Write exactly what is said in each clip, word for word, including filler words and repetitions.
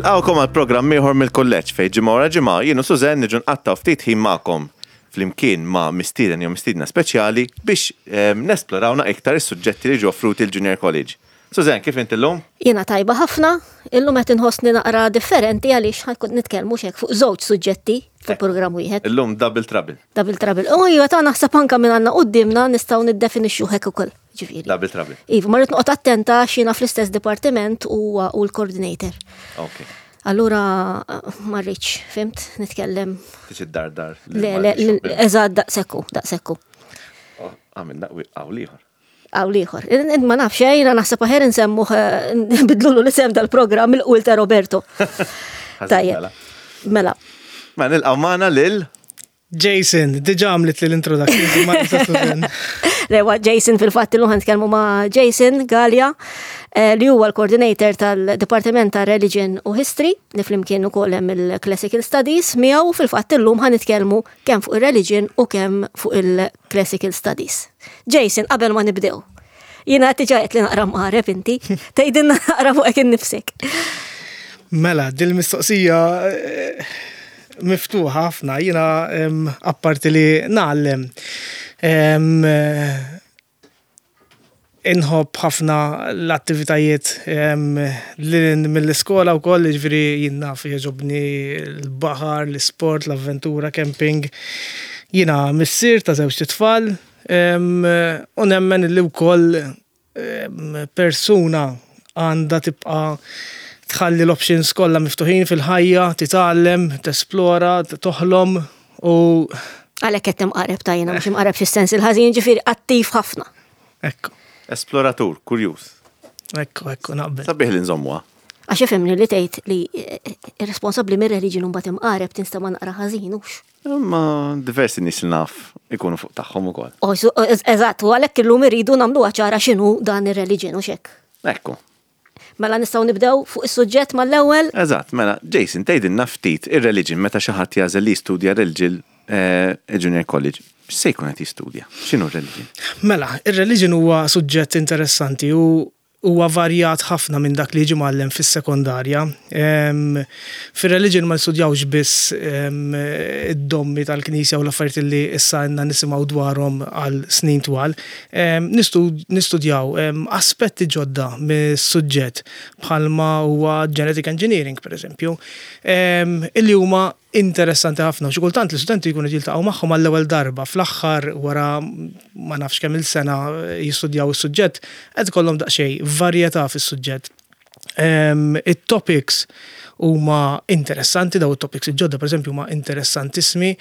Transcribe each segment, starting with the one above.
Nilqgħukom għal programm ieħor mill-kulleġġ fejn ġimgħa wara ġimgħa jien u Sużen niġu nqattgħu ftit ħin magħkom flimkien ma' mistieden jew mistiedna speċjali biex ehm, nesploraw iktar is-suġġetti li ġew offruti l-Junior College. Sużen, kif inti llum? Jiena tajba ħafna, illum qed inħossni naqra differenti għaliex ħa nkun nitkellmu xek fuq żewġ suġġetti fuq programm wieħed. Illum double trouble. Double trouble. U iva ta' naħseb anka minn għandna quddiemna nistgħu niddefinixxu hekk ukoll. Ġifieri. Double trouble. Iva, ma rrid noqgħod attenta għax jiena fl-istess dipartiment u u l-coordinator. Ok. Allura ma rridx, fhimt, nitkellem. Tiġi dar dar. Le, le, eżatt daqsekku, daqsekku. Għamilna hawn ieħor. Hawn ieħor. Ma nafx, eh, jiena naħseb aħjar nsemmuh bidlulu l-isem dal-programm il-qul ta' Roberto. Tajjeb. Mela. Ma nilqgħu magħna lil Jason, diġà għamlit li l-introduction, ma nista' Susan. Lewa Jason fil-fatt illum nitkellmu ma' Jason Gallia eh, li huwa l-coordinator tal-Dipartiment ta' Religion u History li flimkien ukoll hemm il-Classical Studies miegħu fil-fatt illum ħa nitkellmu kemm fuq ir-religion u kemm fuq il-Classical Studies. Jason, qabel ma nibdew. Jiena diġà qed li naqra mqareb inti, tgħidilna naqra fuqek innifsek. Mela, dil-mistoqsija eh, miftuħa ħafna, jiena em, apparti li ngħallem. em, eh, Inħobb ħafna l-attivitajiet em, li mill-iskola u koll, ġifieri jien naf jogħġobni l-baħar, l-sport, l-avventura, camping. Jiena missier ta' żewġ tfal em, u nemmen li wkoll em, persuna għandha tibqa' tħalli l-options kollha miftuħin fil-ħajja, titgħallem, tesplora, toħlom u Għalhekk qed imqareb ta' jiena mhux imqareb fis-sens il-ħażin ġifieri attiv ħafna. Ekku, Esploratur, kurjuż. ekku, ekku, naqbel. Sabiħ li nżommuha. Għax ifhimni li tgħid li eh, irresponsabbli mir-religion mbagħad imqareb tinstema' naqra ħażin hux. Ma diversi nies li naf ikunu fuq tagħhom ukoll. Oh, su- Eżatt, u għalhekk illum irridu nagħmluha ċara x'inhu dan ir-religion u xek. Ekku. Mela nistgħu nibdew fuq is-suġġett mal-ewwel. Eżatt, mela, Jason, tgħidilna ftit ir-religion meta xi ħadd jagħżel li jistudja religion eh, Junior College. X'se jkun qed jistudja? X'inhu religion? Mela, ir-religion huwa suġġett interessanti u huwa varjat ħafna minn dak li jiġi mgħallem fis-sekondarja. Em, Fir-religion ma nistudjawx biss em, id-dommi tal-Knisja u l-affarijiet li issa għandna nisimgħu dwarhom għal snin twal. Em, nistu- Nistudjaw em, aspetti ġodda mis-suġġett bħalma huwa genetic engineering, per eżempju, em, illi huma interessanti ħafna. Xi kultant l-istudenti jkunu jiltaqgħu magħhom għall-ewwel darba fl-aħħar wara ma nafx kemm il-sena jistudjaw is-suġġett, qed ikollhom daqsxejn varjetà fis-suġġett. Em, It-topics huma interessanti, daw it-topics il-ġodda per eżempju huma interessantissimi.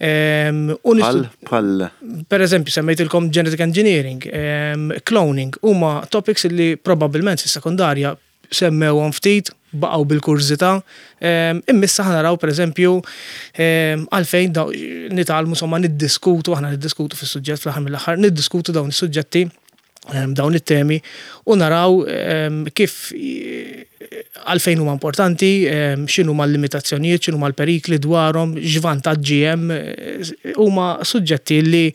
Em, u Bħal, nistu- bħal, Per eżempju, semmejtilkom genetic engineering, em, cloning, huma topics li probabbilment fis-sekondarja semmewhom ftit, baqgħu bil-kurżità. Em, Imma issa ħa naraw per eżempju em, għalfejn daw nitgħallmu insomma niddiskutu, aħna niddiskutu fis-suġġett fl-aħħar mill-aħħar, niddiskutu dawn is-suġġetti em, dawn it-temi u naraw em, kif eh, għalfejn huma importanti, em, x'inhu ma l-limitazzjonijiet, x'inhu ma l-perikli dwarhom, x'vantaġġi hemm, eh, huma suġġetti li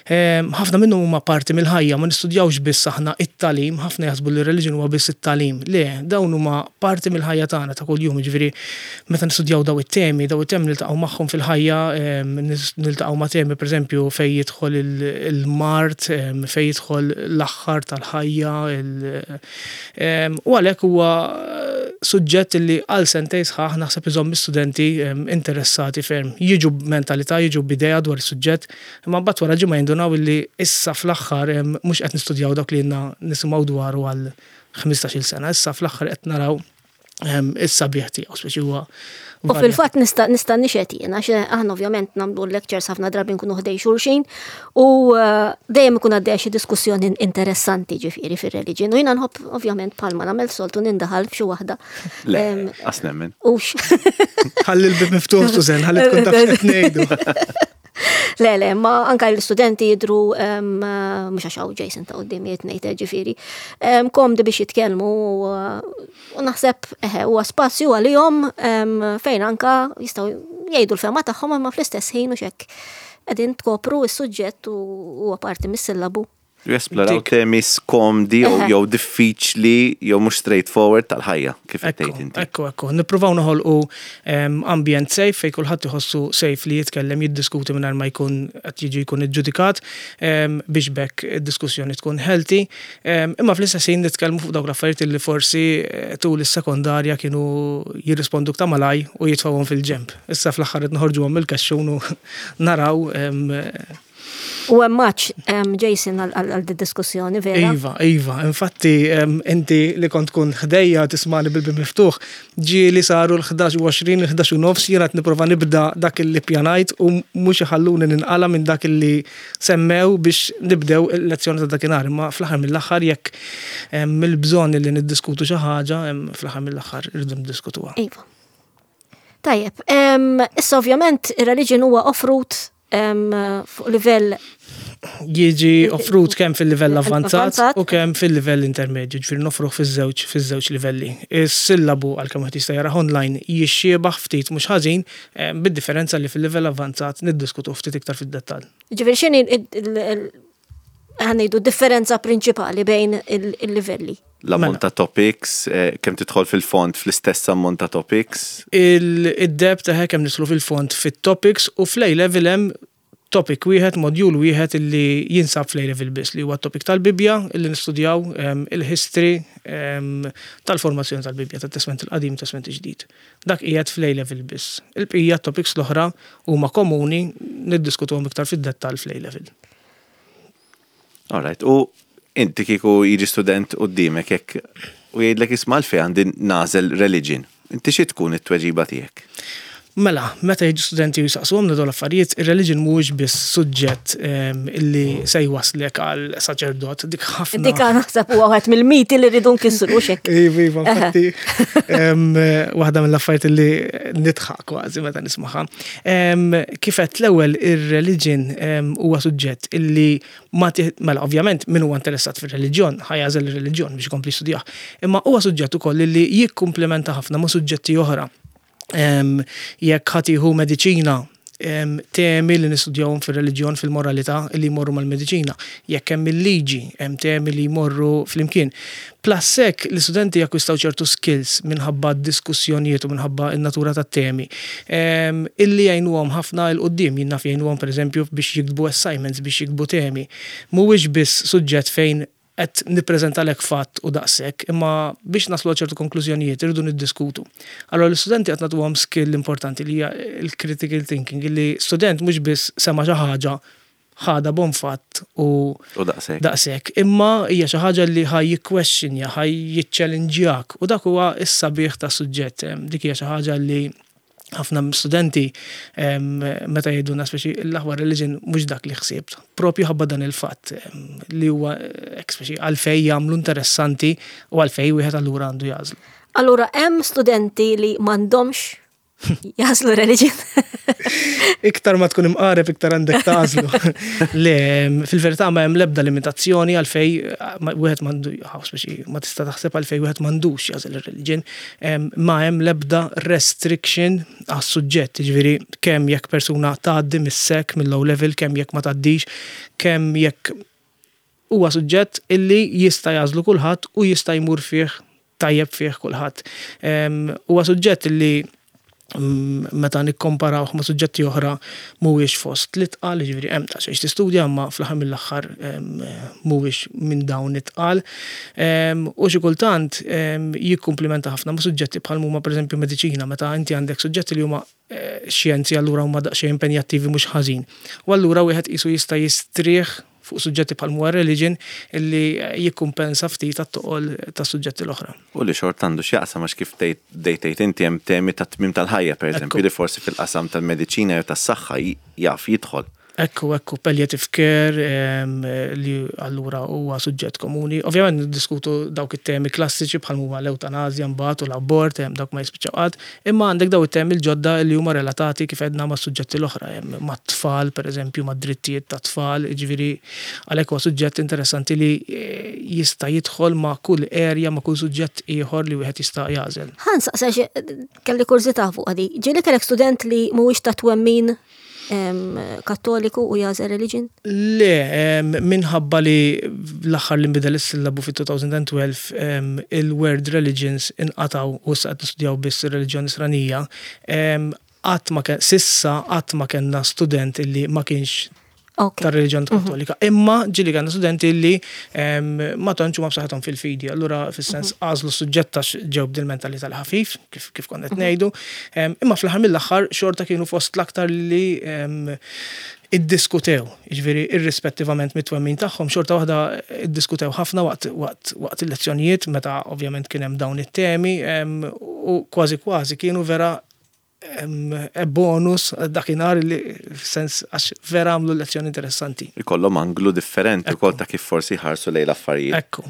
em, ħafna minnhom huma parti mill-ħajja, ma nistudjawx biss aħna it-tagħlim, ħafna jaħsbu li r-religion huwa biss it-tagħlim. Le, dawn huma parti mill-ħajja tagħna ta' kuljum, jiġifieri meta nistudjaw daw it-temi, daw it-temi niltaqgħu magħhom fil-ħajja, em, nis- niltaqgħu ma' temi pereżempju fejn jidħol il- il-mard, em, fejn jidħol l-aħħar tal-ħajja, il- em, u għalhekk huwa suġġett li għal sentejn sħaħ naħseb iżomm studenti interessati ferm. Jiġu b'mentalità, jiġu b'idea dwar is-suġġett, imma mbagħad wara ġimgħa jindunaw illi issa fl-aħħar em, mhux qed nistudjaw dak li ilna nisimgħu dwaru għal ħmistax-il sena, issa fl-aħħar qed naraw em, is-sabiħ tiegħu, speċi huwa U fil-fatt nista' nista' nixhed jien għax aħna ovvjament nagħmlu lectures ħafna drabi nkunu ħdejn xulxin u eh, dejjem ikun għaddejja xi diskussjoni interessanti ġifieri fir-religion. U jiena nħobb ovvjament bħalma nagħmel soltu nindaħal f'xi waħda. Le, Em, qas nemmen. Ux. Ħalli l-bib miftuħ, Susan, ħalli tkun taf x'qed ngħidu. Le, le, ma anka l-studenti jidru, em, mhux għax hawn Jason ta' quddiem ngħid ġifieri, em, komdi biex jitkellmu u u naħseb eħe, huwa spazju għalihom em, fejn anka jistgħu jgħidu l-fehma tagħhom imma fl-istess ħin u xek qegħdin tkopru s-suġġett u huwa parti mis-sillabu. Jesploraw temi skomdi jew diffiċli jew mhux straightforward tal-ħajja, kif tgħid inti. Ekku, ekku. Nippruvaw noħolqu ambjent safe fejn kulħadd iħossu safe li jitkellem, jiddiskuti mingħajr ma jkun qed jiġi jkun iġġudikat, biex bekk id-diskussjoni tkun healthy. Imma fl-istess ħin nitkellmu fuq dawk l-affarijiet li forsi eh, tul is-sekondarja kienu jirrispondu ta' malaj u jitfgħuhom fil-ġemp. Issa fl-aħħar qed noħorġuhom mill-kaxxun u naraw. U hemm maċ, Jason, għal diskussjoni vera. Iva, iva, infatti inti li kont tkun ħdejja tismani bil miftuħ, ġi li saru l-ħdax u għoxrin, l-ħdax u nofs, jiena nipprova nibda dak li pjanajt u mhux iħalluni ninqala minn dak li semmew biex nibdew il-lezzjoni ta' dakinhar. Imma fl-aħħar mill-aħħar, jekk mill-bżonn li niddiskutu xi ħaġa, fl-aħħar mill-aħħar irridu niddiskutuha. Iva. Tajjeb, issa ovvjament ir-religion huwa offrut fuq livell Jiġi offrut kemm fil-livell avvanzat u kemm fil-livell intermedju, ġifieri nofruh fiż-żewġ fiż-żewġ livelli. Is-sillabu, għalkemm qed jista' jarah online, jixxiebaħ ftit mhux ħażin, bid-differenza li fil-livell avvanzat niddiskutu ftit iktar fid-dettall. Ġifieri x'inhi, ħa ngħidu, differenza prinċipali bejn il-livelli? L-ammont ta' topics, eh, kemm tidħol fil-fond fl-istess ammont ta' topics? Il-depth ta' kemm nidħlu fil-fond fit-topics, u fl level hemm topic wieħed, module wieħed illi jinsab fl level biss, li huwa topic tal-Bibja illi nistudjaw il-history tal-formazzjoni tal-Bibja, tat-Testament il-Qadim, Testament il-Ġdid. Dak qiegħed fl level biss. Il-bqija topics l-oħra huma komuni, niddiskutuhom iktar fid-dettall fl level. Alright, u inti kieku jiġi student qudiemek hekk u jgħidlek, "Isma', għalfejn għandi nagħżel religion?" Inti xi tkun it-tweġiba tiegħek? Mela, meta jiġu studenti u jisaqsuhom dawn l-affarijiet, ir-religion mhuwiex biss suġġett illi se jwaslek għal saċerdot, dik ħafna. Dik naħseb huwa wieħed mill-miti li rridu nkissru xek. Iva, iva, infatti, waħda mill-affarijiet illi nidħaq kważi meta nismaha. Kif għedt l-ewwel, ir-religion huwa suġġett illi ma, mela, ovvjament min huwa interessat fir-reliġjon ħa jagħżel ir-reliġjon biex ikompli studjah. Imma huwa suġġett ukoll illi jikkumplementa ħafna ma' suġġetti oħra. Jekk ħa tieħu mediċina, temi li nistudjawhom fir-reliġjon, fil-moralità, li jmorru mal-mediċina. Jekk hemm il-liġi, hemm temi li jmorru flimkien. Plus hekk l-istudenti jakkwistaw ċertu skills minħabba diskussjonijiet u minħabba n-natura tat-temi illi jgħinuhom ħafna 'l quddiem, jien naf jgħinuhom pereżempju biex jiktbu assignments, biex jiktbu temi. Mhuwiex biss suġġett fejn qed nippreżentalek fatt u daqshekk, imma biex naslu ċertu konklużjonijiet irridu niddiskutu. Allora l-istudenti qed nagħtuhom skill importanti li hija l-critical thinking, li student mhux biss sema' xi ħaġa, ħadha bon fatt u U daqshekk. Daqshekk. Imma hija xi ħaġa li ħa jikkwestjonja, ħa jiċċellinġjak u dak huwa s-sabiħ ta' suġġett. Dik hija xi ħaġa li ħafna studenti meta jgħidulna speċi l-aħwa religion mhux dak li ħsibt. Propju ħabba dan il-fatt li huwa speċi għalfejn jagħmlu interessanti u għalfejn wieħed allura għandu jagħżlu. Allura hemm studenti li m'għandhomx jagħżlu religion? Iktar ma tkun imqareb, iktar għandek tagħżlu. Le, fil-verità ma hemm l-ebda limitazzjoni għalfejn wieħed m'għandu, speċi ma tista' taħseb għalfejn wieħed m'għandux jagħżel ir-religion. Ma hemm l-ebda restriction għas-suġġett, jiġifieri kemm jekk persuna tgħaddi mis-S E C, mill-O level, kemm jekk ma tgħaddix, kemm jekk, huwa suġġett illi jista' jagħżlu kulħadd u jista' jmur fih tajjeb fih kulħadd. Huwa suġġett illi Mm, meta nikkomparawh ma' suġġetti oħra mhuwiex fost l-itqal, jiġifieri hemm ta' xejn tistudja, imma fl-aħħar mill-aħħar mhuwiex minn dawn it-tqal. U xi kultant jikkumplimenta ħafna ma' suġġetti bħal huma pereżempju mediċina, meta inti għandek suġġetti li huma eh, xjenzi, allura huma daqsxejn impenjattivi mhux ħażin. U allura wieħed qisu jista' jistrieħ fuq suġġetti bħal huwa religion illi jikkumpensa ftit għat-toqol ta' suġġetti l-oħra. U li xort għandu x'jaqsam, għax kif tgħid inti hemm temi ta' tmim tal-ħajja, pereżempju, li forsi fil-qasam tal-mediċina jew tas-saħħa jaf jidħol. Ekku, ekku, palliative care, li allura huwa suġġett komuni. Ovvjament niddiskutu dawk it-temi klassiċi bħal huma l-eutanazja mbagħad u l-abort, dawk ma jispiċċaw qatt, imma għandek daw it-temi l-ġodda li huma relatati, kif għedna, ma' suġġetti l-oħra, mat-tfal, pereżempju, ma' drittijiet ta' tfal, ġifieri għalhekk huwa suġġett interessanti li eh, jista' jidħol ma' kull area, ma' kull suġġett ieħor li wieħed jista' jagħżel. Ħa nsaqsi, kelli kurżità fuq għadi. Ġieli kellek student li mhuwiex ta' twemmin? em, Kattoliku u jagħżel religion? Le, em, minħabba li l-aħħar li nbidel is-sillabu fit-elfejn u tnax, em, il-word religions inqataw u issa qed nistudjaw biss ir-reliġjon Nisranija, em, qatt ma kien s'issa qatt ma kellna student illi ma kienx Ok. tar-reliġjon Kattolika. Imma ġieli kellna studenti li em, ma tantx huma b'saħħithom fil-fidi. Allura fis-sens għażlu suġġett għax ġew b'dil-mentalità l-ħafif, kif kif konna qed ngħidu. Em, Imma fl-aħħar mill-aħħar xorta kienu fost l-aktar li em, iddiskutew, jiġifieri irrispettivament mit-twemmin tagħhom, xorta waħda iddiskutew ħafna waqt waqt waqt il-lezzjonijiet meta ovvjament kien hemm dawn it-temi em, u kważi kważi kienu vera em, e bonus dakinhar li sens għax vera għamlu lezzjoni interessanti. Ikollhom anglu differenti ukoll ta' kif forsi ħarsu lejn l-affarijiet. Ekku.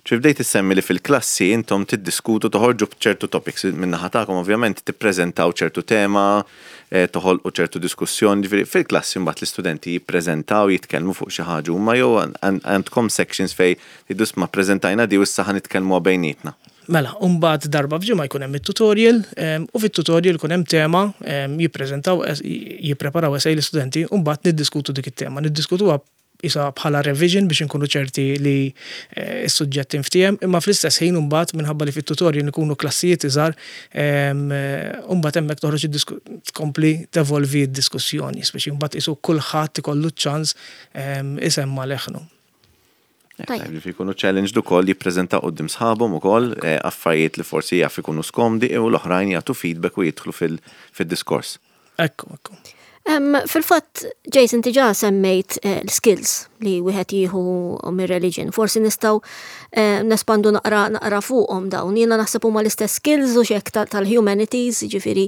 ċi bdejt issemmi li fil-klassi intom tiddiskutu, toħorġu b'ċertu topics min-naħa tagħkom, ovvjament tippreżentaw ċertu tema, eh, toħolqu ċertu diskussjoni, ġifieri fil-klassi mbagħad l-istudenti jippreżentaw, jitkellmu fuq xi ħaġa huma jew għandkom sections fejn tgħidu, "Isma', preżentajna di u issa ħa nitkellmu bejnietna"? Mela, mbagħad darba f'ġimgħa jkun hemm it-tutorial em, u fit-tutorial jkun hemm tema, em, jippreżentaw es- jippreparaw essay l-istudenti u mbagħad niddiskutu dik it-tema. Niddiskutuha isa bħala revision biex inkunu ċerti li eh, s-suġġett inftiehem, imma fl-istess ħin mbagħad minħabba li fit-tutorial ikunu klassijiet iżgħar, em, eh, mbagħad hemmhekk toħroġ id-disku- tkompli tevolvi d-diskussjoni, speċi mbagħad isu kulħadd ikollu ċans em, isemma leħnu. Tajjeb. Ġifieri jkunu challenged ukoll jippreżentaw quddiem sħabhom ukoll eh, affarijiet li forsi jaf ikunu skomdi u l-oħrajn jagħtu feedback u jidħlu fil- fid-diskors. Ekku, ekku. Em, Fil-fatt, Jason, diġà semmejt eh, l-skills li wieħed jieħu mir-religion. Forsi nistgħu eh, nespandu naqra naqra fuqhom dawn. Jiena naħseb huma l-istess skills u xek tal-humanities, ġifieri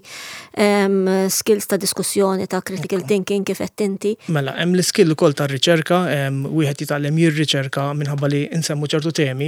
em, skills ta' diskussjoni, ta' critical thinking kif qed inti. Mela, hemm l-skill ukoll tar-riċerka, em, wieħed jitgħallem jirriċerka minħabba li nsemmu ċertu temi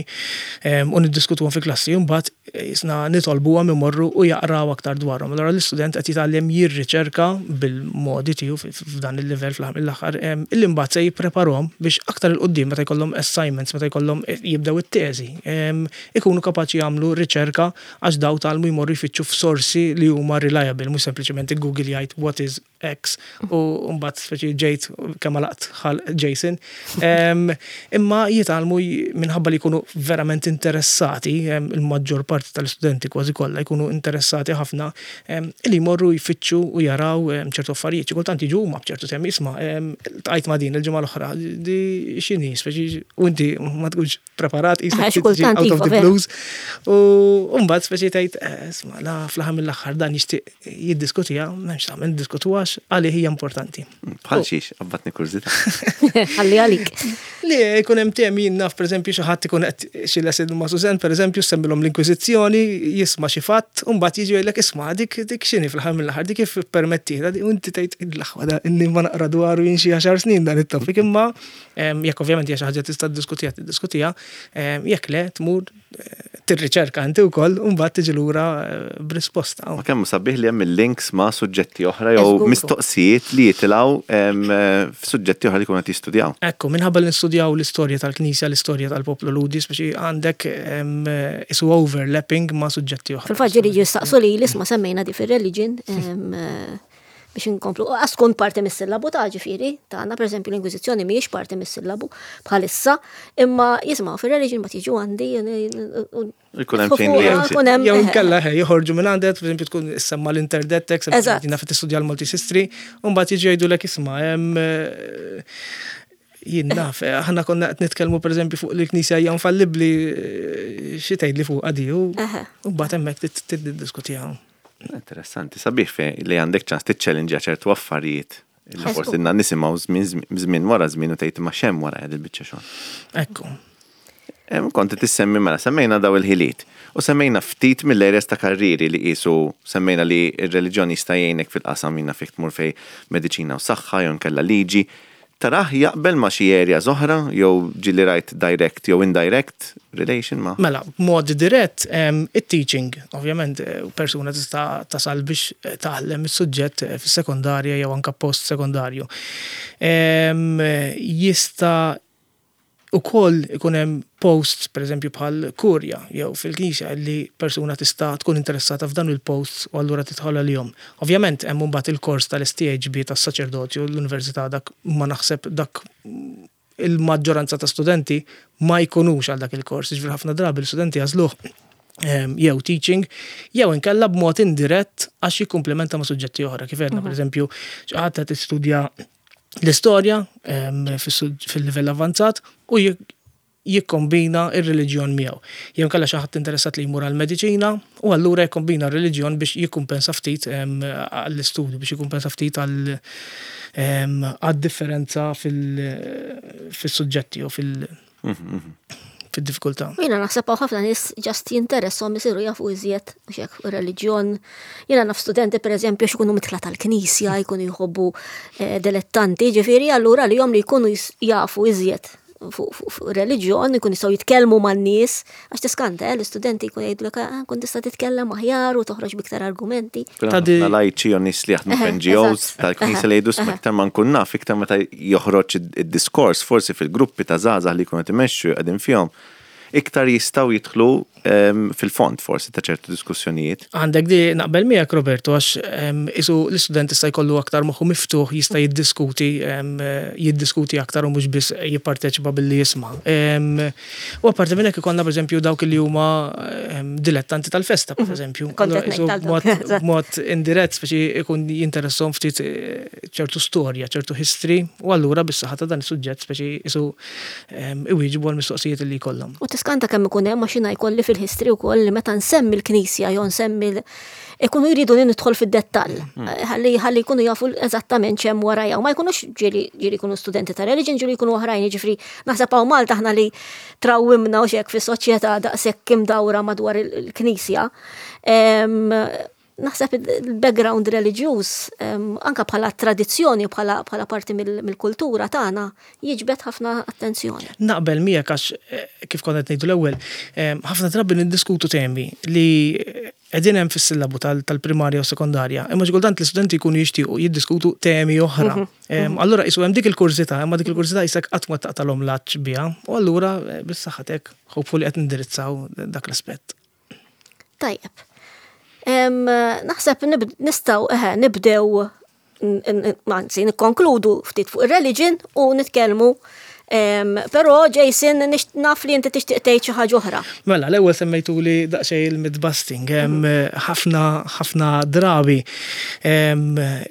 em, u niddiskutuhom fi klassi, u mbagħad jisna nitolbuhom imorru u jaqraw aktar dwarhom. Allura l-istudent qed jitgħallem jirriċerka bil-modi tiegħu f- f'dan il-livell fl-aħħar mill-aħħar em, illi mbagħad se jippreparahom biex aktar 'il quddiem meta jkollhom assignments, meta jkollhom eh, jibdew it-teżi, em, ikunu kapaċi jagħmlu riċerka għax daw tgħallmu jmorru jfittxu f'sorsi li huma reliable, mhux sempliċement Google jgħid "What is X" u mbagħad speċi ġejt kemm laqt ħal Jason. Em, Imma jitgħallmu j- minħabba li jkunu verament interessati, em, il-maġġor parti tal-istudenti kważi kollha jkunu interessati ħafna, em, li jmorru jfittxu u jaraw em, ċertu affarijiet. Xi kultant jiġu huma b'ċertu temi, "Isma', em, ltqajt ma' din il-ġimgħa l-oħra, di x'inhi?" Speċi u inti ma tkunx preparat, Eh, qisek xi tiġi kultant out of iva, the vera. blues. U mbagħad speċi tgħid, eh, "Isma', la fl-aħħar mill-aħħar dan jixtieq jiddiskutiha, m'hemmx tagħmel, diskutuha għalih hija importanti." Bħal xiex, qabbatni kurżità. Ħalli għalik. Li jkun hemm temi, naf, pereżempju, xi ħadd ikun qed xi lesson ma' Susan, pereżempju, semmilhom l-Inkwiżizzjoni, jisma' xi fatt, u mbagħad jiġi jgħidlek, "Isma', dik dik x'inhi fl-aħħar mill-aħħar, dik kif permettita?" U inti tgħid, "L-aħwa da inni ma naqra dwaru jien xi għaxar snin dan it-topic," imma em, jekk ovvjament hija xi ħaġa tista' tiddiskutiha, tiddiskutiha, em, jekk le tmur eh, tirriċerka inti wkoll u mbagħad tiġi lura eh, b'risposta. Ma kemm sabiħ li hemm il-links ma' suġġetti oħra jew Eżgur. mistoqsijiet li jitilgħu em, eh, f'suġġetti oħra li jkunu qed jistudjaw. Ekku, minħabba li nistudjaw l-istorja tal-Knisja, l-istorja tal-poplu Lhudi, speċi għandek em, isu overlapping ma' suġġetti oħra. Fil-fatt ġieli jistaqsu li l-isma semmejna di fil-religion em, eh, biex inkomplu. Għas tkun parti mis-sillabu ta' ġifieri, tagħna, per eżempju, l-Inkwiżizzjoni mhijiex parti mis-sillabu bħalissa, imma jisimgħu fil-religion ma tiġu għandi. Ikun hemm chain reaction. Ikun hemm Jew inkella ħe, joħorġu minn għandek, per eżempju, tkun issemma l-interdettex, Eżatt. jina fit tistudja l-Maltese History, u mbagħad jiġu jgħidulek, "Isma', hemm eh, jien naf, eh, aħna konna qed nitkellmu pereżempju fuq li l-Knisja hija infallibbli, eh, xi tgħid li fuq għadi?" U Eħe. u mbagħad hemmhekk tiddiskutiha. Interessanti, sabiħ fe li għandek ċans tiċċellinġja ċertu affarijiet li Eżgur. forsi na nisimgħu żmien żmien wara żmien u tgħid, "Ma x'hemm wara qed il-biċċa xogħol?" Ekku. Em, Konti tissemmi, mela, semmejna daw il-ħiliet. U semmejna ftit mill-areas ta' karriri li qisu semmejna li ir-reliġjon jista' jgħinek fil-qasam minna fik tmur fej mediċina u saħħa jew nkella liġi. Tarah jaqbel ma' xi areas oħra jew ġieli rajt direct jew indirect relation ma' Mela, b'mod dirett, em, it-teaching, ovvjament, eh, persuna tista' tasal biex eh, tgħallem is-suġġett eh, fis-sekondarja jew anka post-sekondarju. Em, Jista' Ukoll ikun hemm posts, per eżempju, bħal kurja jew fil-knisja li persuna tista' tkun interessata f'dan il-posts u allura tidħol għalihom. Ovvjament hemm mbagħad il-kors tal-S T H B tas-saċerdotju l-università, dak ma naħseb dak il-maġġoranza ta' studenti ma jkunux għal dak il-kors, ġifieri ħafna drabi l-studenti jagħżluh jew teaching, jew inkella b'mod indirett għax jikkumplementa ma' suġġetti oħra. Kif għedna, per eżempju, xi ħadd qed tistudja l-istorja fil-livell avanzat u jikkombina ir-reliġjon miegħu. Jew inkella xi ħadd interessat li jmur għall-mediċina u allura jikkombina r-reliġjon biex jikkumpensa ftit għall-istudju, biex jikkumpensa ftit għal-differenza fil-suġġetti u fil- fil-diffikultà. Jiena naħseb hawn ħafna nies just jinteressahom isiru jafu iżjed xek reliġjon. Jiena naf studenti, per eżempju, x'ikunu midħla tal-knisja, jkunu jħobbu eh, dilettanti, ġifieri allura li jom li jkunu jafu iżjed fuq reliġjon, jkun jistgħu jitkellmu man-nies, għax tiskanta, eh, l-istudenti jkun jgħidulek, ah, kun tista' titkellem aħjar u toħroġ biktar argumenti. Ta' lajċi u nies li jaħdmu f'N G Os tal-knisja li jgħidu, iktar ma nkun naf, iktar meta joħroġ id-diskors forsi fil-gruppi ta' żgħażagħ li jkunu timexxu qegħdin fihom, iktar jistgħu jidħlu fil-fond forsi ta' ċertu diskussjonijiet. Għandek di naqbel miegħek, Roberto, għax isu l-istudent jista' jkollu aktar moħħu miftuħ, jista' jiddiskuti jiddiskuti aktar u mhux biss jipparteċipa billi jisma'. U apparti minn hekk ikollna, pereżempju, dawk li huma dilettanti tal-festa, pereżempju. B'mod indirett speċi ikun jinteressahom ftit eh, ċertu storja, ċertu history, u allura bis-saħħa ta' dan is-suġġett speċi isu iwieġbu għal mistoqsijiet li jkollhom. U tiskanta kemm ikun hemm, għax jiena jkolli fil-history wkoll li meta nsemmi l-knisja jew nsemmi ikunu jridu li nidħol fid-dettall. Hmm. Ħalli ħalli jkunu jafu eżattament x'hemm warajja u ma jkunux ġieli ġieli jkunu studenti ta' religion, ġieli jkunu oħrajn, jiġifieri naħseb hawn Malta aħna li trawwimna u xek fis-soċjetà daqshekk imdawra madwar il-knisja. Naħseb il-background reliġjuż anka bħala tradizzjoni, bħala bħala parti mill-kultura tagħna, jiġbed ħafna attenzjoni. Naqbel miegħek għax eh, kif kont qed ngħidu l-ewwel, ħafna drabi niddiskutu temi li qegħdin hemm fis-sillabu tal-primarja u sekondarja, imma xi kultant l-istudenti jkunu jixtiequ jiddiskutu temi oħra. Mhm, mhm. Allura isu hemm dik il-kurżità, imma dik il-kurżità jisek qatt ma taqtalhom laċ biha, u allura eh, bis-saħħatek hopefully qed nindirizzaw dak l-aspett. Tajjeb. Naħseb nistgħu eħe nibdew, anzi nikkonkludu ftit fuq ir-religion u nitkellmu. Però Jason, naf li inti tixtieq tgħid xi ħaġa oħra. Mela, l-ewwel semmejtu li daqsxejn il-mythbusting, ħafna ħafna drabi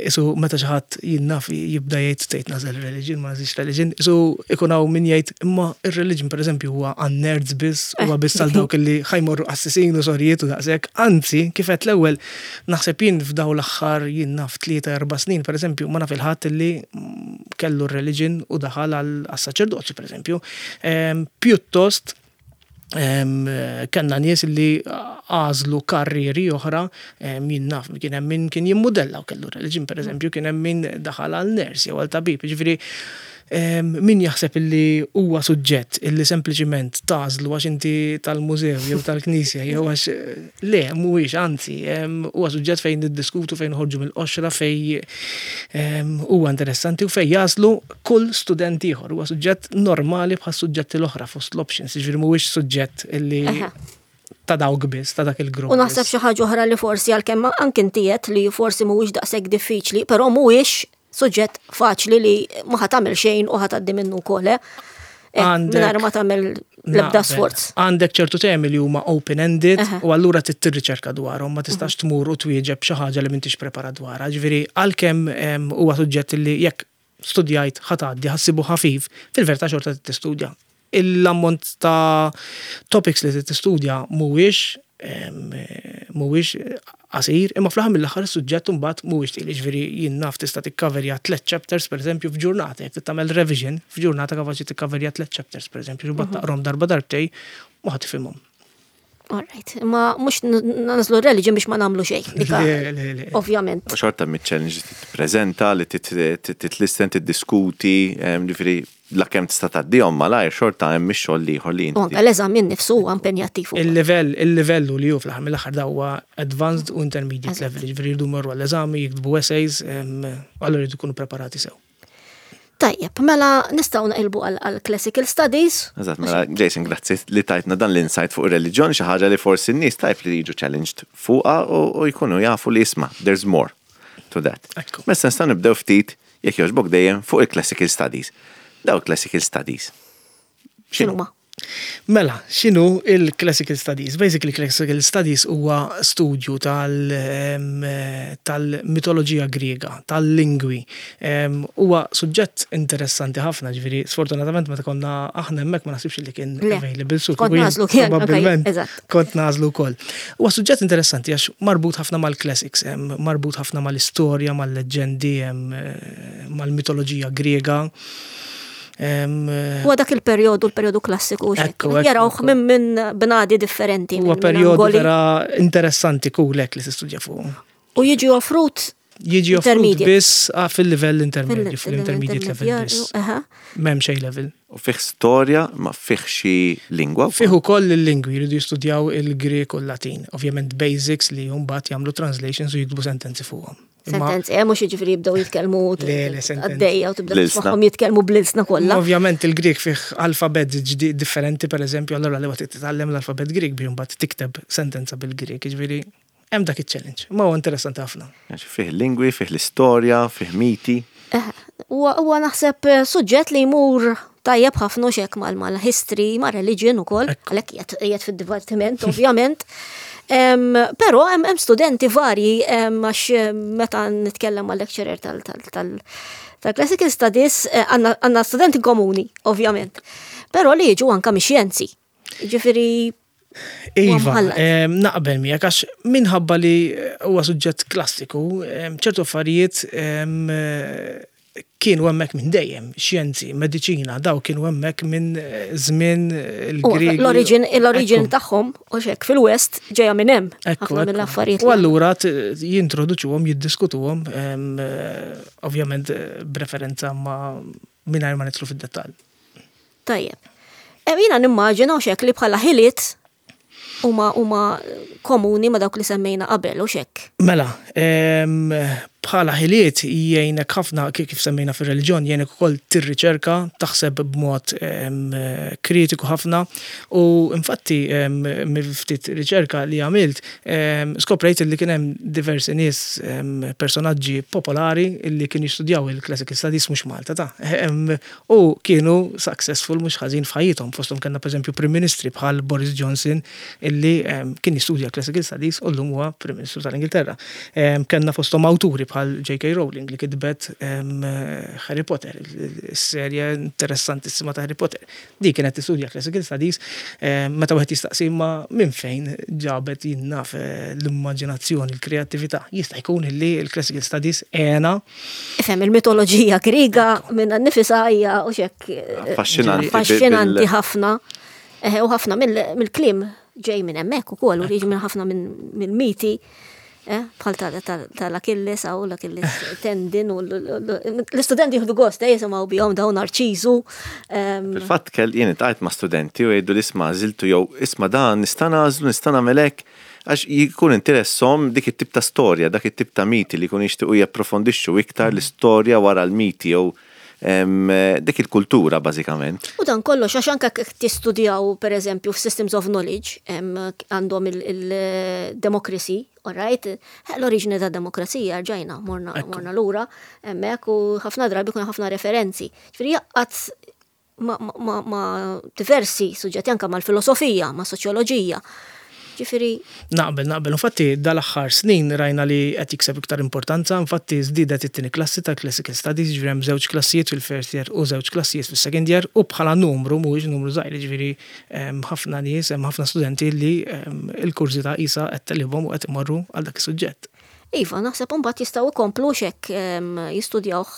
isu meta xi ħadd jinnaf jibda jgħid tgħid nagħżel religion, ma nagħżilx religion, isu ikun hawn min jgħid imma ir-religion, pereżempju, huwa għan-nerds biss, huwa biss għal dawk li ħa jmorru qassisin u sorijiet u daqshekk. Anzi, kif qed l-ewwel, naħseb jien f'daw l-aħħar jien naf tlieta erba' snin, pereżempju, ma naf il-ħadd li kellu r-religion u daħal għas-saċerdot saċerdozju, per eżempju. Pjuttost kellna nies li għażlu karrieri oħra, jien naf kien hemm min kien jimmudella u kellu religion, per eżempju, kien hemm min daħal għal nurse jew għal tabib, ġifieri min jaħseb illi huwa suġġett illi sempliċiment tagħżlu għax inti tal-mużew jew tal-knisja jew għax le, mhuwiex, anzi huwa suġġett fejn niddiskutu, fejn noħorġu mill-qoxra, fejn huwa interessanti u fejn jaslu kull student ieħor. Huwa suġġett normali bħal suġġetti l-oħra fost l-options, jiġifieri mhuwiex suġġett illi ta' dawk biss, ta' dak il-grupp. U naħseb xi ħaġa oħra li forsi għalkemm anke inti li forsi mhuwiex daqshekk diffiċli, però mhuwiex suġġett faċli li ma ħa tagħmel xejn u ħa tgħaddi minnu wkoll. Eh, mingħajr ma tagħmel l-ebda sforz. Għandek ċertu temi li huma open-ended u allura tirriċerka dwarhom, ma tistax tmur u twieġeb xi ħaġa li m'intix preparat dwarha. Ġifieri għalkemm huwa suġġett li jekk studjajt ħa tgħaddi, ħa ssibu ħafif, fil-verità xorta tistudja. L-ammont ta' topics li tistudja mhuwiex mhuwiex qasir, imma fl-aħħar mill-aħħar is-suġġett imbagħad mhuwiex tqil, ġifieri jien naf tista' tikkaverja tliet chapters, pereżempju, f'ġurnata, jekk tagħmel revision f'ġurnata kapaċi tikkaverja tliet chapters, pereżempju, mbagħad mhm. taqrom darba darbtej u ħa tifhimhom. All right, ma mhux nagħżlu religion biex ma nagħmlu xejn. Ovvjament. Xorta mit-challenge tippreżenta, li titlisten, tiddiskuti, ġifieri la kemm tista' tgħaddihom malajr, xorta hemm ix-xogħol ieħor li inti. L-eżami nnifsu huwa impenjattiv. Il-livell, il-livellu li hu fl-aħħar mill-aħħar da huwa advanced u intermediate level, ġifieri jridu jmorru għall-eżami, jiktbu essays, allura jridu jkunu preparati sew. Tajjeb, mela nistgħu naqilbu għal classical studies. Eżatt, mela Jason, grazzi li tajtna dan l-insight fuq ir-reliġjon, xi ħaġa li forsi n-nies tajb li jiġu challenged fuqha u jkunu jafu li isma' there's more to that. Mela nistgħu nibdew ftit, jekk jogħġbok, dejjem fuq il-classical studies. Daw classical studies. X'inhuma? Mela, x'inhu il-Classical Studies? Basically, Classical Studies huwa studju tal-mitoloġija Griega, tal-lingwi. Huwa suġġett interessanti ħafna, ġifieri, sfortunatament meta konna aħna hemmhekk ma naħsibx li kien available. Su kont nagħżlu kien, probabbilment kont nagħżlu wkoll. Huwa suġġett interessanti għax marbut ħafna mal-classics, marbut ħafna mal-istorja, mal-leġendi, mal-mitoloġija Griega. Huwa dak il-perjodu, il-perjodu klassiku, jarawh minn minn bnadi differenti. Huwa perjodu vera interessanti kulek li tistudja fuq. U jiġi offrut Jiġi offrut biss ah, fil-livell intermedju, fil-intermediate level biss. M'hemm xejn level. U fih storja, ma fih xi lingwa? Fih ukoll il-lingwi, jridu jistudjaw il-Grek u l-Latin. Ovvjament basics li mbagħad jagħmlu translations u jiktbu sentenzi fuqhom. Sentenzi, eh, mhux jiġifieri jibdew jitkellmu għaddejja u tibda tismagħhom jitkellmu bl-ilsna kollha. Ovvjament il-Grek fih alfabet differenti, pereżempju, allura li waqt titgħallem l-alfabet Grek biex mbagħad tikteb sentenza bil-Grek, jiġifieri hemm dak iċ-challenge. Ma huwa interessanti ħafna. Fih lingwi, fih l-istorja, fih miti. Eh, huwa naħseb eh, suġġett li jmur tajjeb ħafna xek mal-history, ma' religion ukoll, għalhekk qiegħed fid-dipartiment, ovvjament. Però hemm studenti varji, għax meta nitkellem mal lecturer tal-Classical Studies eh, għandna studenti komuni, ovvjament. Però li jiġu anka mix-xjenzi. Ġifieri Iva, naqbel miegħek għax minħabba li huwa suġġett klassiku, ċertu affarijiet kienu hemmhekk minn dejjem, xjenzi, mediċina, daw kienu hemmhekk minn żmien il-Griegi. L-origin l-origin tagħhom u xek fil-West ġejja minn hemm. Ħafna mill-affarijiet. U allura jintroduċuhom, jiddiskutuhom, ovvjament b'referenza ma mingħajr ma nidħlu fid-dettall. Tajjeb. Jiena nimmaġina u xek li bħala ħiliet huma huma komuni ma dawk li semmejna qabel u xek. Mela, bħala ħiliet jgħinek ħafna, kif semmejna fir-reliġjon, jgħinek ukoll tirriċerka, taħseb b'mod kritiku ħafna u infatti ftit riċerka li għamilt skoprejt li kien hemm diversi nies, personaġġi popolari li kienu jistudjaw il-Classical Studies, mhux Malta ta' u kienu successful mhux ħażin f'ħajjithom. Fosthom kellna pereżempju Prim Ministri bħal Boris Johnson illi kien jistudja Classical Studies u llum huwa Prim Ministru tal-Ingilterra. Kellna fosthom awturi bħal J K. Rowling li kitbet Harry Potter, is-serje interessantissima ta' Harry Potter. Di kienet tistudja Classical Studies. Meta wieħed jistaqsi ma minn fejn ġabet, jien naf, l-immaġinazzjoni, l-kreattività, jista' jkun illi l-Classical Studies għenha. Ifhem, il-mitoloġija Griega minn nifisha hija u xek Affaxxinanti. Affaxxinanti ħafna. U ħafna mill-kliem ġej minn hemmhekk ukoll u jiġi minn ħafna minn miti. Eh, bħal tal-Achilles għaw l-Achilles tendon u l-istudenti jieħdu gost, eh, jisimgħu bihom dawn Narċiżu. Fil-fatt kell jien iltqajt ma' studenti u jgħidu li isma' għażiltu jew isma' dan nista' nagħżlu, nista' nagħmel hekk, għax jkun interessom dik it-tip ta' storja, dak it-tip ta' miti li jkun jixtiequ japprofondixxu iktar l-istorja wara l-miti jew dik il-kultura bażikament. U dan kollox għax anke tistudjaw pereżempju f'Systems of Knowledge għandhom il-democracy, all right? L-oriġini ta' demokrazija rġajna, morna, morna lura, hemmhekk u ħafna drabi kun ħafna referenzi. Ġifieri jaqgħad ma, ma, ma diversi suġġetti, anka mal-filosofija, ma' soċjoloġija. Ġifieri. Naqbel, naqbel. Infatti, dal-aħħar snin rajna li qed jikseb iktar importanza. Infatti, żdiedet it-tieni klassi ta' Classical Studies, ġifieri hemm żewġ klassijiet fil-first year u żewġ klassijiet fis-second year u bħala numru mhuwiex numru żgħir, ġifieri ħafna nies, hemm ħafna studenti li l-kurżità qisha qed tegħlibhom u qed imorru għal dak is-suġġett. Iva, naħseb imbagħad jistgħu jkomplu xek jistudjawh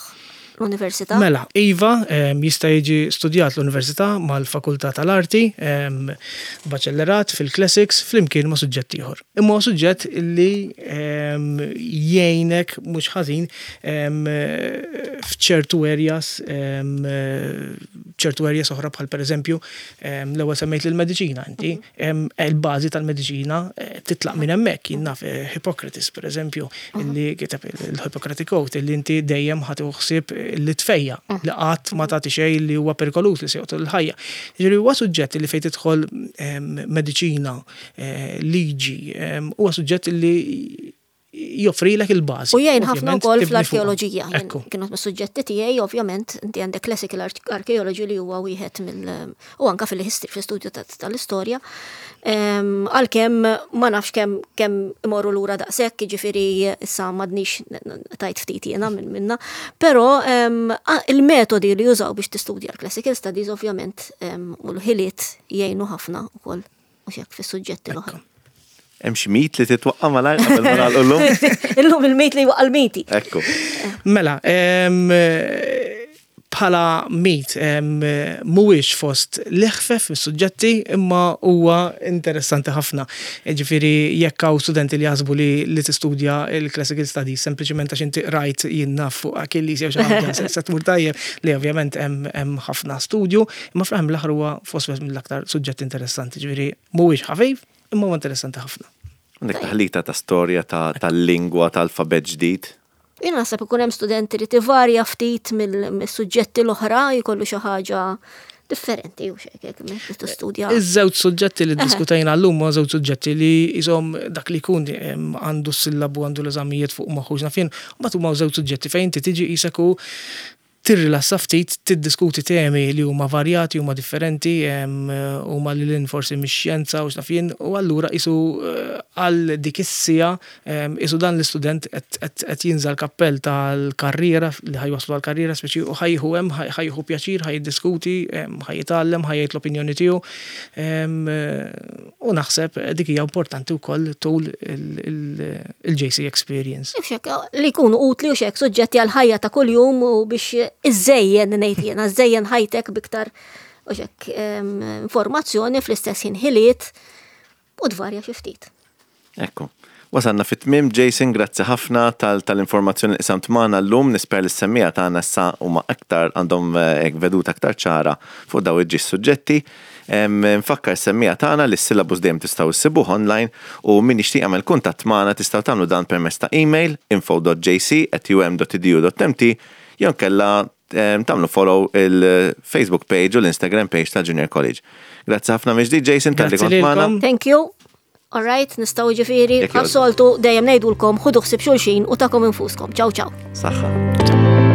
l-università? Mela, iva, jista' jiġi studjat l-università mal-Fakultà tal-Arti, baċellerat fil-Classics flimkien ma' suġġett ieħor. Imma huwa suġġett li jgħinek mhux ħażin f'ċertu areas, ċertu areas oħra bħal pereżempju l-ewwel semmejt l-mediċina inti, il-bażi tal-mediċina eh, titlaq minn hemmhekk, jien naf eh, Hippocrates pereżempju, illi kiteb il-Hippocratic Oath, illi inti dejjem ħa ħsieb li tfejjaq, li qatt ma tagħti xejn li huwa perikoluż li se joqtol il-ħajja. Jiġifieri huwa suġġett li fejn tidħol mediċina, eh, liġi, huwa suġġett li joffrilek il-bażi. U jgħin ħafna wkoll fl-arkeoloġija. Kienu mis-suġġetti tiegħi, ovvjament, inti għandek classical archaeology li huwa wieħed mill u anka fil-history, fl-istudju tal-istorja. Għalkemm ma nafx kemm kemm imorru lura daqshekk, jiġifieri issa m'għadnix tajt ftit jiena minn minna, però il-metodi li jużaw biex tistudja l-classical studies ovvjament u l-ħiliet jgħinu ħafna ukoll u xek fis-suġġetti l-oħra. Hemm xi myth li titwaqqa' malajr qabel ma nagħlqu llum? Illum il-myth li waqqa' l-miti. Ekku. Mela, bħala myth mhuwiex fost l-eħfef mis-suġġetti imma huwa interessanti ħafna. Ġifieri jekk hawn studenti li jaħsbu li li tistudja il-classical studies sempliċement għax inti rajt jien naf fuq Achilles jew xi ħaġa se tmur tajjeb li ovvjament hemm ħafna studju, imma fl-aħħar mill-aħħar huwa fost mill-aktar suġġetti interessanti. Ġifieri mhuwiex ħafif imma huwa interessanti ħafna. Għandek taħlita ta' storja tal-lingwa tal-alfabet ġdid. Jien naħseb ikun hemm studenti li tivarja ftit mill-suġġetti l-oħra jkollu xi ħaġa differenti u xek, hekk tistudja. Iż-żewġ suġġetti li diskutajna llum huma żewġ suġġetti li jisom dak li jkun għandu s-sillabu, għandu l-eżamijiet fuq moħħu naf jien, u mbagħad huma żewġ suġġetti fejn inti tiġi qisek u tirrilassa ftit, tiddiskuti temi li huma varjati, huma differenti, huma li l forsi mix-xjenza u x'naf jien, u allura isu eh, għal dik is-siegħa isu dan l-istudent qed jinża l-kappell tal-karriera li ħa jwaslu għal-karriera speċi u ħa jieħu hemm ħa jieħu pjaċir, ħa jiddiskuti, ħa jitgħallem, ħa jgħid l-opinjoni tiegħu. U naħseb dik hija importanti wkoll tul il-J C experience. Li jkunu utli u xek suġġetti għal ħajja ta' kuljum u biex iżejjen ngħid jiena, iżejjen ħajtek biktar u xek informazzjoni, fl-istess ħin ħiliet u tvarja xi ftit. Ekku. Wasanna fit-tmim, Jason, grazzi ħafna tal-informazzjoni li qsamt magħna llum, nispera li s-semmiegħa tagħna issa huma aktar għandhom eh, veduta aktar ċara fuq daw iż suġġetti. Nfakkar semmiegħa tagħna li s-syllabus dejjem tistgħu issibuh online u min jixtieq jagħmel kuntatt magħna tistgħu tagħmlu dan permezz ta' email info dot J C at U M dot edu dot M T jew kella tagħmlu follow il-Facebook page u l-Instagram page ta' Junior College. Grazzi ħafna mill-ġdid, Jason, talli kont magħna. Thank you. All right, nistgħu ġifieri, bħas-soltu dejjem ngħidulkom ħudu ħsieb xulxin u tagħkom infuskom. Ciao, ciao. Saħħa.